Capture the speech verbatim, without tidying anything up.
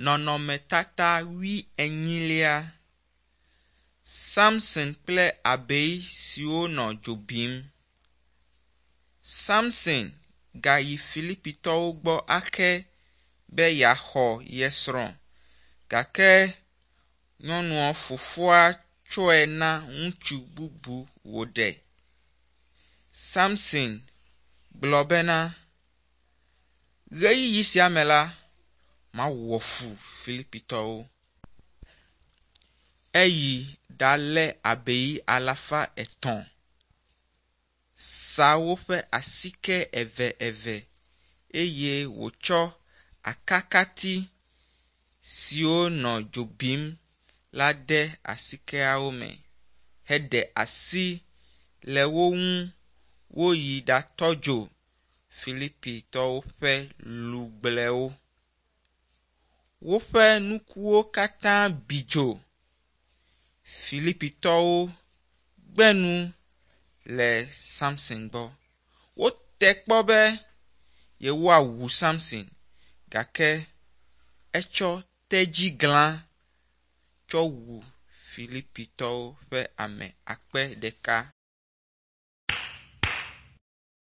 Nɔnɔmetata wuienyilia. Samson kple abei siwo nɔ dzo bim. Samson gayi Filipitɔwo gbɔ ake be yeaxɔ ye srɔ̃ gake nyɔnua fofoa tsɔe na ŋutsu bubu wòɖe. Samson gblɔ bena, ɣeyiɣi sia me la, mawɔ fu Filipitɔwo. Eyi ɖalé abei alafa etɔ̃, sa woƒe asike eve eye wòtsɔ akakati siwo nɔ dzo bim la de asikeawo me heɖe asi le wo ŋu woyi ɖatɔ dzo Filipitɔwo ƒe lugblewo. Woƒe nukuwo katã bi dzo. Filipitɔwo gbe nu le Samson gbɔ. Wote kpɔ be yewoawu Samson gake etsɔ tedziglã tsɔ wu Filipitɔwo ƒe ame akpe ɖeka.